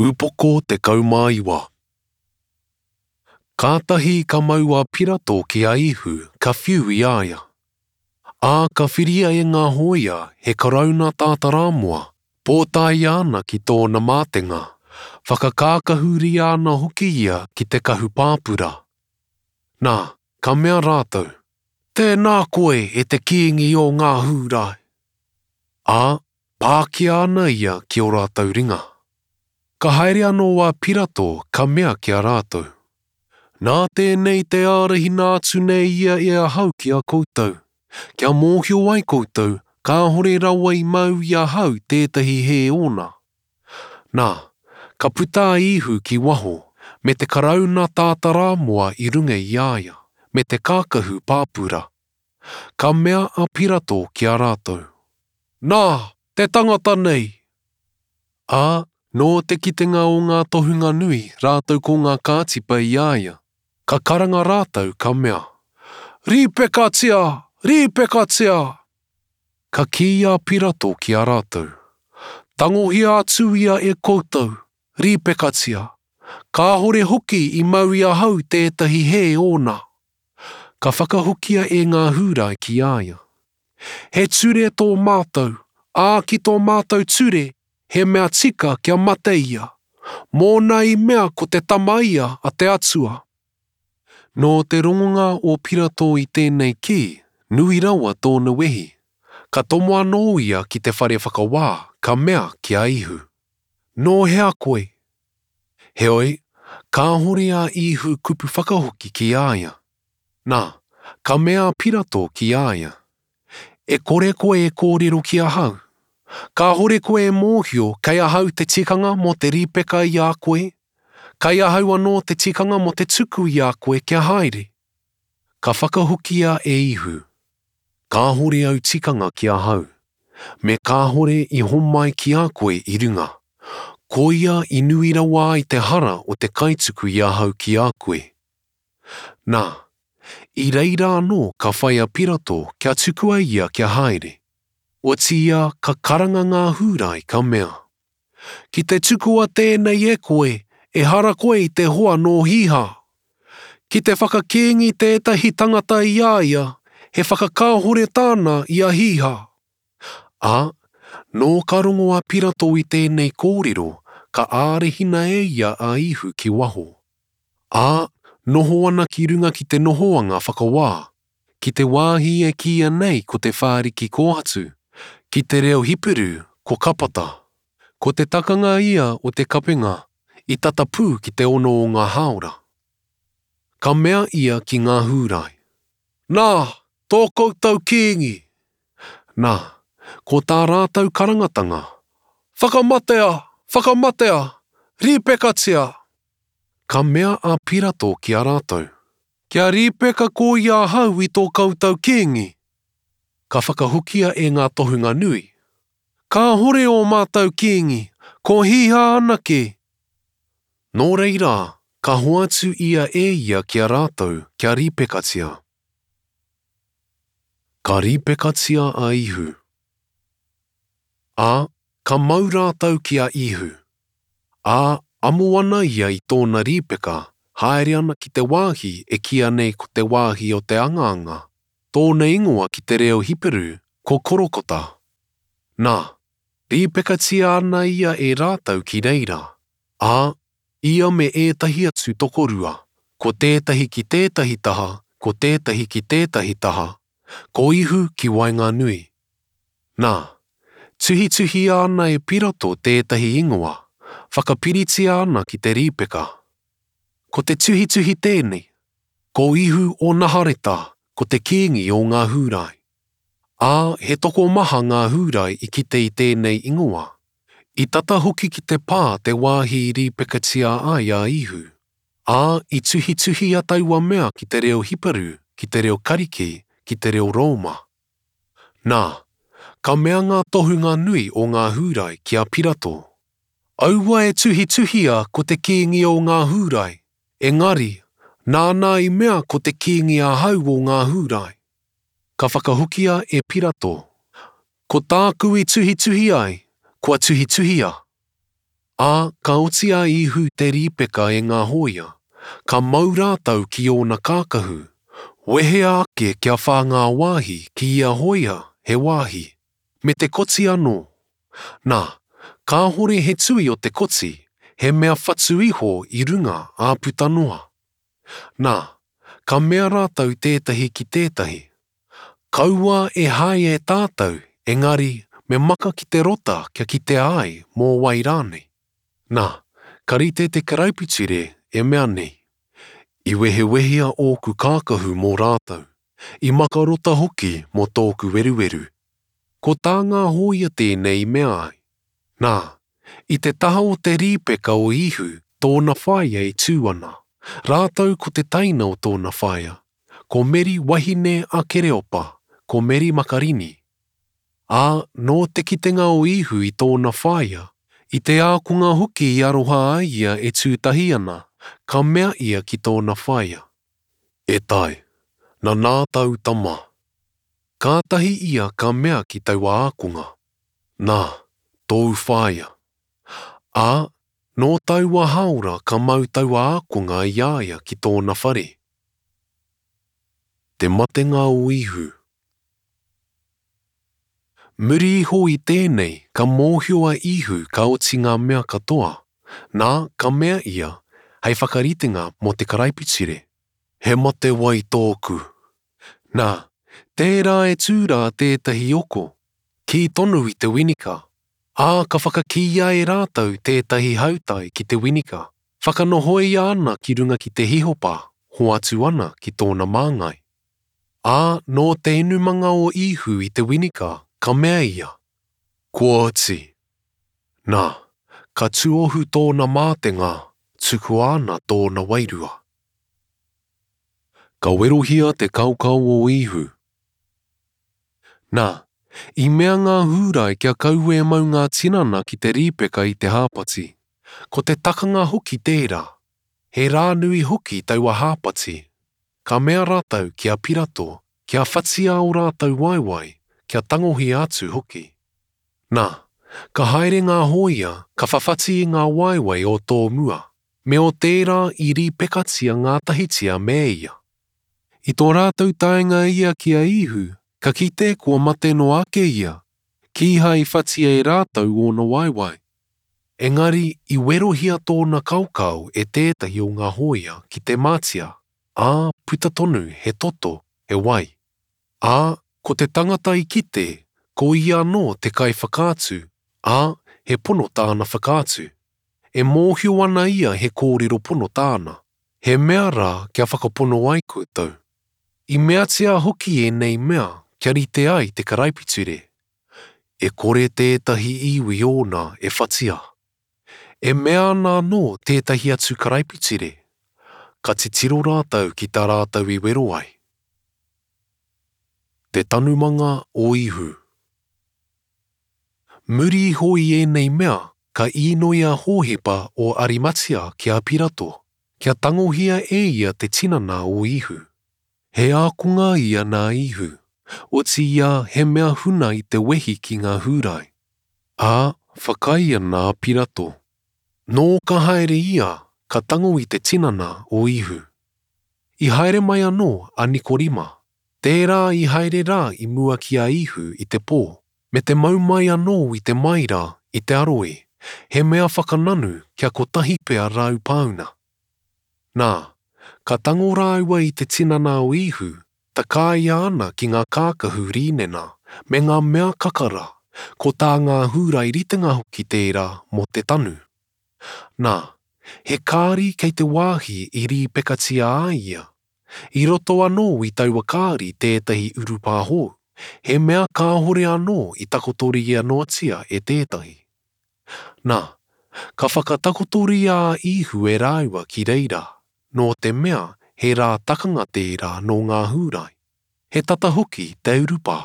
Upoko 19. Kātahi ka mau a Pirato ki a Īhu, ka whiu i a ia. Ā, ka whiria e ngā hōia he karauna tātarāmoa, pōtaia ana ki tōna mātenga, whakakākahuria ana hoki ia ki te kahu pāpura. Nā, ka mea rātou, Tēnā koe, e te Kīngi o ngā Hūrai! Ā, pākia ana ia ki ō rātou ringa. Ka haere anō a Pirato, ka mea ki a rātou, Nā tēnei te ārahina atu nei ia e ahau ki a koutou, kia mōhio ai koutou kāhore rawa i mau i ahau tētahi hē ōna. Nā, ka puta a Īhu ki waho, me te karauna tātarāmoa i runga i a ia, me te kākahu pāpura. Ka mea a Pirato ki a rātou, Nā, te tangata nei! Ā, nō te kitenga o ngā tohunga nui rātou ko ngā kātipa i a ia, ka karanga rātou ka mea, Rīpekatia! Rīpekatia! Ka kī a Pirato ki a rātou, Tangohia atu ia e koutou, rīpekatia, kāhore hoki i mau i ahau tētahi hē ōna. Ka whakahokia e ngā Hūrai ki a ia, He ture tō mātou, ā, ki tō mātou ture, he mea tika kia mate ia, mōna i mea ko te Tama ia a te Atua. Nō te rongonga o Pirato i tēnei kī, nui rawa tōna wehi. Ka tomo anō ia ki te whare whakawā, ka mea ki a Īhu, Nō hea koe? Heoi, kāhore a Īhu kupu whakahoki ki a ia. Nā, ka mea a Pirato ki a ia, E kore koe e kōrero ki ahau? Kāhore koe e mōhio kei ahau te tikanga mō te rīpeka i a koe? Kei ahau anō te tikanga mō te tuku i a koe kia haere? Ka whakahokia e Īhu, Kāhore au tikanga ki ahau, me kāhore i homai ki a koe i runga. Koia i nui rawa ai te hara o te kaituku i ahau ki a koe. Nā, i reira anō ka whai a Pirato kia tukua ia kia haere. Otiia ka karanga ngā Hūrai ka mea, Ki te tukua tēnei e koe, ehara koe i te hoa nō Hīhā. Ki te whakakīngi tētahi tangata i a ia, he whakakāhore tāna i a Hīhā. Ā, nō ka rongo a Pirato i tēnei kōrero, ka ārahina e ia a Īhu ki waho. Ā, noho ana ki runga ki te nohoanga whakawā, ki te wāhi e kīia nei ko te whāriki kōhatu, ki te reo Hiperu ko Kapata. Ko te takanga ia o te kapenga i tata pū ki te ono o ngā hāora. Ka mea ia ki ngā Hūrai, Nā, tō koutou kīngi! Nā, ko tā rātou karangatanga, Whakamatea! Whakamatea! Rīpekatia! Ka mea a Pirato ki a rātou, Kia rīpeka koia ahau i tō koutou kīngi? Ka whakahokia e ngā tohunga nui, Kāhore ō mātou kīngi, ko Hīhā anake! Nō reira, ka hoatu ia e ia ki a rātou kia rīpekatia. Ka rīpekatia a Īhu. Ā, ka mau rātou ki a Īhu. Ā, amo ana ia i tōna rīpeka, haere ana ki te wāhi e kīia nei ko te wāhi o te angaanga, tōna ingoa ki te reo Hiperu ko Korokota. Nā, rīpekatia ana ia e rātou ki reira, ā, ia me ētahi atu tokorua, ko tētahi ki tētahi taha, ko tētahi ki tētahi taha, ko Ihu ki waenganui. Nā, tuhituhia ana e Pirato tētahi ingoa, whakapiritia ana ki te rīpeka. Ko te tuhituhi tēnei, Ko Ihu o Nahareta, ko te Kīngi o ngā Hūrai. Ā, he tokomaha ngā Hūrai i kite i tēnei ingoa. I tata hoki ki te pā te wāhi i rīpekatia ai a Ihu. Ā, i tuhituhia taua mea ki te reo Hiperu, ki te reo Kariki, ki te reo Rōma. Nā, ka mea ngā tohunga nui o ngā Hūrai ki a Pirato, Aua e tuhituhia ko te Kīngi o ngā Hūrai, engari, nāna i mea ko te Kīngi ahau o ngā Hūrai. Ka whakahokia e Pirato, Ko tāku i tuhituhi ai, kua tuhituhia. Ā, ka oti a Īhu te rīpeka e ngā hōia, ka mau rātou ki ōna kākahu, wehea ake kia whā ngā wāhi ki ia hōia he wāhi, me te koti anō. Nā, kāhore he tui o te koti, he mea whatu iho i runga ā puta noa. Nā, ka mea rātou tētahi ki tētahi, Kaua e hae e tātou, engari me maka ki te rota kia kitea ai mō wai rānei. Nā, ka rite te karaipiture e mea nei, I wehewehea ōku kākahu mō rātou, i maka rota hoki mō tōku weruweru. Ko tā ngā hōia tēnei i mea ai. Nā, i te taha o te rīpeka o Īhu tōna whaea e tū ana, rātou ko te teina o tōna whaea, ko Meri wahine a Kereopa, ko Meri Makarini. Ā, nō te kitenga o Īhu i tōna whaea, i te ākonga hoki i aroha ai ia e tū tahi ana, ka mea ia ki tōna whaea, E tai, nanā tāu tama. Kātahi ia ka mea ki taua ākonga, Nā, tōu whaea. Ā, nō taua hāora ka mau taua ākonga i a ia ki tōna whare. Te matenga o Īhu. Muri iho i tēnei ka mōhio a Īhu ka oti ngā mea katoa, nā, ka mea ia hei whakaritenga mō te karaipiture, He matewai tōku. Nā, tērā e tū rā tētahi oko, kī tonu i te winika, ā, ka whakakīia e rātou tētahi hautai ki te winika, whakanohoia ana ki runga ki te hihopa, hoatu ana ki tōna māngai. Ā, nō te inumanga o Īhu i te winika, ka mea ia, Kua oti. Nā, ka tuohu tōna mātenga, tukua ana tōna wairua. Ka werohia te kaokao o Īhu. Nā, i mea ngā Hūrai kia kaua e mau ngā tinana ki te rīpeka i te hāpati. Ko te takanga hoki tērā. He rā nui hoki taua hāpati. Ka mea rātou ki a Pirato kia whatia ō rātou waewae, kia tangohia atu hoki. Nā, ka haere ngā hōia, ka whawhati i ngā waewae o tō mua. Me o tērā i rīpekatia ngātahitia me ia. I tō rātou taenga ia ki a Īhu, ka kite kua mate noa ake ia, kīhai i whatia e rātou ōna waewae. Engari i werohia tōna kaokao e tētahi o ngā hōia ki te mātia, ā, puta tonu he toto, he wai. Ā, ko te tangata i kite, ko ia anō te kaiwhakaatu, ā, he pono tāna whakaatu. E mōhio ana ia he kōrero pono tāna, he mea rā kia whakapono ai koutou. I meatia hoki ēnei mea kia rite ai te karaipiture, E kore tētahi iwi ōna e whatia. E mea ana anō tētahi atu karaipiture, Ka titiro rātou ki tā rātou i wero ai. Te tanumanga o Īhu. Muri iho i ēnei mea, ka īnoi a Hōhepa o Arimatia ki a Pirato, kia tangohia e ia te tinana o Īhu. He ākonga ia nā Īhu, otiia he mea huna i te wehi ki ngā Hūrai. Ā, whakaae ana a Pirato. Nō ka haere ia, ka tango i te tinana o Īhu. I haere mai anō a Nikorima, tērā i haere rā i mua ki a Īhu i te pō, Me te mau mai anō i te maira, i te aroe, he mea whakananu kia kotahi pea rāu pāuna. Nā, ka tango rāua i te tinana o Īhu, takāia ana ki ngā kākahu rīnena, me ngā mea kakara, ko tā ngā Hūrai ritenga hoki tērā mō te tanu. Nā, he kāri kei te wāhi i rīpekatia ai ia, I roto anō i taua kāri tētahi urupā hou, he mea kāhore anō i takotoria noatia e tētahi. Nā, ka whakatakotoria a Īhu e rāua ki reira, nō te mea he rā takanga tērā nō ngā Hūrai, he tata hoki te urupā.